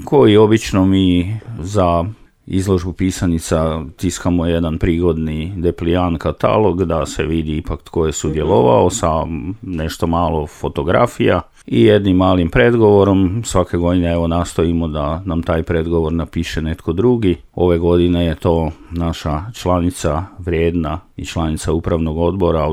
koji obično mi za izložbu pisanica tiskamo jedan prigodni deplijan katalog da se vidi ipak tko je sudjelovao sa nešto malo fotografija i jednim malim predgovorom. Svake godine evo nastojimo da nam taj predgovor napiše netko drugi. Ove godine je to naša članica vrijedna i članica upravnog odbora,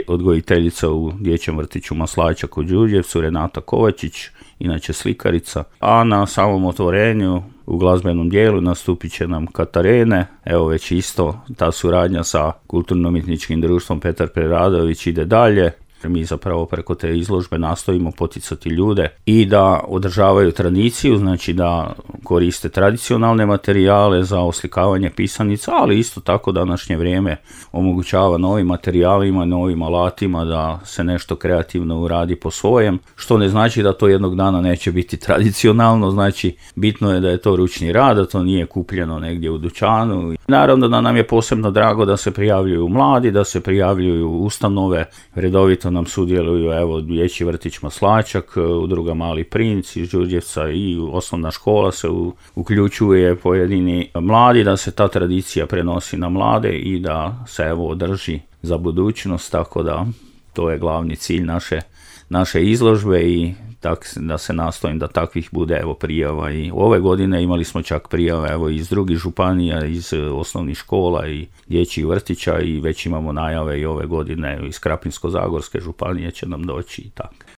odgojiteljica u dječjem vrtiću Maslačak u Đurđevcu, Renata Kovačić, inače slikarica. A na samom otvorenju u glazbenom dijelu nastupit će nam Katarene. Evo već isto ta suradnja sa Kulturno-umjetničkim društvom Petar Preradović ide dalje. Mi zapravo preko te izložbe nastojimo poticati ljude i da održavaju tradiciju, znači da koriste tradicionalne materijale za oslikavanje pisanica, ali isto tako današnje vrijeme omogućava novim materijalima, novim alatima da se nešto kreativno uradi po svojem, što ne znači da to jednog dana neće biti tradicionalno, znači bitno je da je to ručni rad, da to nije kupljeno negdje u dućanu. Naravno da nam je posebno drago da se prijavljuju mladi, da se prijavljuju ustanove, redovito nam sudjeluju evo dječji vrtić Maslačak, udruga Mali princ iz Đurđevca i osnovna škola se uključuje pojedini mladi, da se ta tradicija prenosi na mlade i da se evo održi za budućnost, tako da to je glavni cilj naše izložbe i da se nastojim da takvih bude evo prijava. I ove godine imali smo čak prijave evo iz drugih županija, iz osnovnih škola i dječjih vrtića i već imamo najave i ove godine iz Krapinsko-zagorske županije će nam doći i tako.